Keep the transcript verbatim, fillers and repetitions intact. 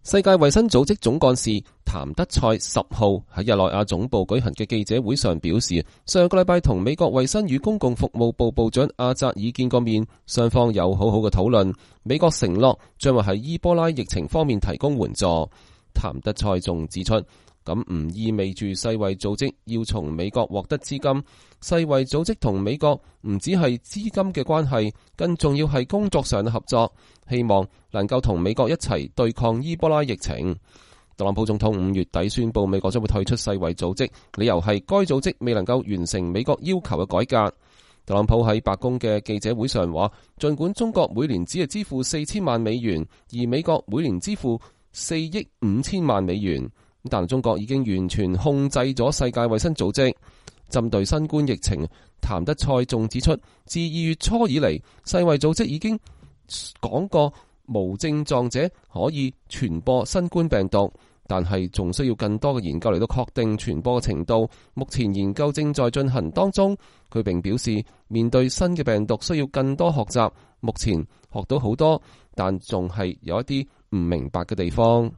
世界衛生組織總幹事譚德塞十號喺日內瓦總部舉行嘅記者會上表示，上個禮拜同美國衛生與公共服務部部長阿扎爾見過面，雙方有好好嘅討論。美國承諾將會喺伊波拉疫情方面提供援助。譚德塞仲指出，咁唔意味住世衛組織要從美國獲得資金。世衛組織同美國唔只係資金嘅關係，更重要係工作上嘅合作，希望能夠同美國一齊對抗伊波拉疫情。特朗普總統五月底宣布美國將會退出世衛組織，理由係該組織未能夠完成美國要求嘅改革。特朗普喺白宮嘅記者會上話，儘管中國每年只係支付四千萬美元，而美國每年支付四億五千萬美元，但中國已經完全控制咗世界衛生組織。針對新冠疫情，譚德塞仲指出，自二月初以嚟，世衛組織已經講過無症狀者可以傳播新冠病毒，但係仲需要更多嘅研究嚟到確定傳播嘅程度。目前研究正在進行當中。佢並表示，面對新嘅病毒需要更多學習，目前學到好多，但仲係有一啲唔明白嘅地方。